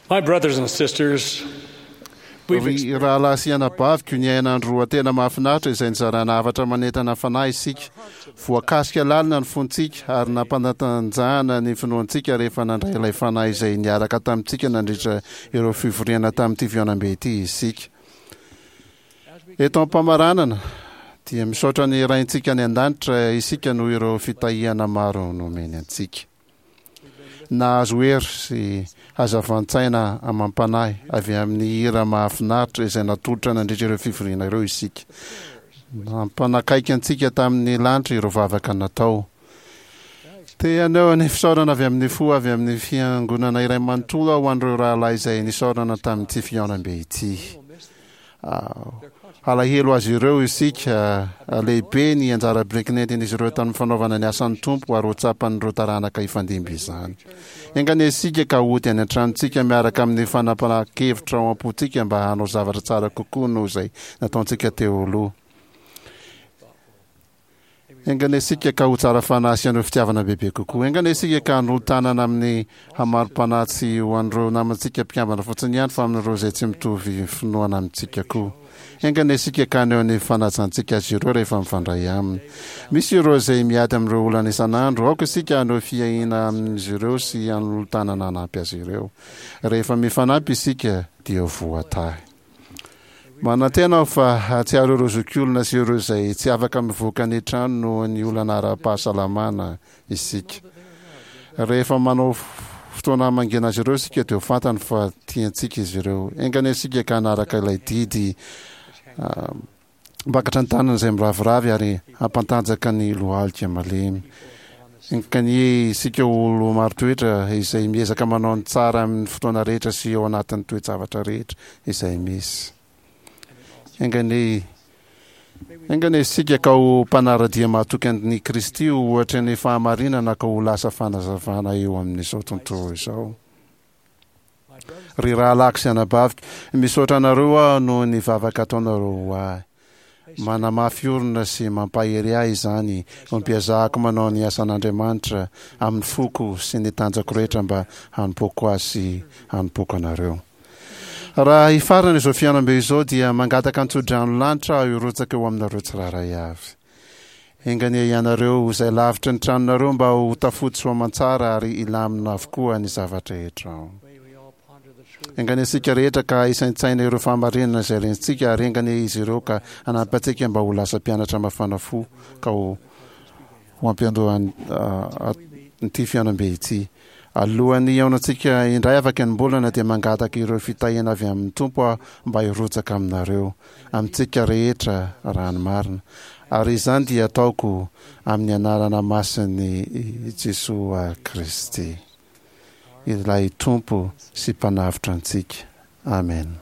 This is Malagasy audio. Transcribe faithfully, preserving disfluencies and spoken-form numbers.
My brothers and sisters, we've Ry rahalahy sy anabaviko, niaina andro roa tena mahafinaritra izay nizarana hafatra manentana fanahy isika. Voakasika lalina ny fontsika ary nampanatanjahana ny finoantsika rehefa nandray ilay fanahy izay niaraka tamintsika nandritra ireo fivoriana tamin'ity fihaonambe ity isika. Eto am-pamaranana dia misaotra ny Raintsika any an-danitra isika noho ireo fitahiana maro nomeny antsika. Nahazo hery sy hazavan-tsaina amam-panahy avy amin'ny hira mahafinaritra izay natolotra nandritra ireo fivoriana ireo isika. Nampanakaiky antsika tamin'ny lanitra ireo vavaka natao. Te haneho ny fisaorana avy amin'ny fo avy amin'ny fiangonana iray manontolo aho ho an'ireo rahalahy izay nisaorana tamin'ity fihaonambe ity. Halahelo azy ireo isika. Lehibe ny anjara biriky nentin'izy ireo tamin'ny fanaovana ny asan'ny Tompo ary ho tsapan'ireo taranaka hifandimby izany. Enga anie isika ka hody any an-tranontsika miaraka amin'ny fanapahan-kevitra ao am-pontsika mba hanao zavatra tsara kokoa noho izay nataontsika teo aloha. Enga anie isika ka ho tsara fanahy sy haneho fitiavana bebe kokoa. Enga anie isika ka hanolo-tanana amin'ny hamarom-panahy tsy ho an'ireo namantsika mpikambana fotsiny ihany fa amin'ireo izay tsy mitovy finoana amintsika koa. Enga anie isika ka haneho ny fanajantsika azy ireo rehefa mifandray aminy. Misy ireo izay miady amin'ireo olana isan'andro. Aoka isika haneho fiahiana amin'izy ireo sy hanolo-tanana hanampy azy ireo. Rehefa mifanampy isika dia voatahy. Manantena aho fa hahatsiaro ireo zokiolona sy ireo izay tsy afaka mivoaka ny trano noho ny olana ara-pahasalamana isika. Rehefa manao fotoana hamangiana azy ireo isika dia ho fantany fa tiantsika izy ireo. Enga anie isika ka hanaraka ilay didy Hampakatra ny tanana izay miraviravy ary hampantanjaka ny lohalika malemy. Enga anie isika ho olo marin-toetra izay miezaka manao ny tsara amin'ny fotoana rehetra sy ao anatin'ny toe-javatra rehetra izay misy. Enga anie Enga anie isika ka ho mpanara-dia mahatoky an'i Kristy ho ohatry ny fahamarinana ka ho lasa fanazavana eo amin'izao tontolo izao. Ry rahalahiko sy anabaviko, misaotra anareo aho noho ny vavaka ataonareo ho ahy. Manamafy orina sy mampahery ahy izany ho mpiezahako manao ny asan'Andriamanitra amin'ny foko sy ny tanjako rehetra mba hanompoako Azy sy hanompoako anareo. Raha hifarana izao fihaonambe izao dia mangataka an-tsodrano lanitra aho hirotsaka eo aminareo tsirairay avy. Enga anie ianareo izay lavitry ny tranonareo mba ho tafody soamantsara ary hilamina avokoa ny zava-drehetra ao. Enga anie isika rehetra ka hisaintsaina ireo fahamarinana izay rentsika ary enga anie izy ireo ka hanampy antsika mba ho lasa mpianatra mafana fo ka ho ho ampiandohan'ity fihaonambe ity. Alohan'ny hihaonantsika indray afaka enim-bolana dia mangataka ireo fitahiana avy amin'ny Tompo aho mba hirotsaka aminareo, amintsika rehetra raha ny marina. Ary izany dia ataoko amin'ny anarana masin'i Jesoa Kristy, ilay Tompo sy Mpanavotra antsika. Amena.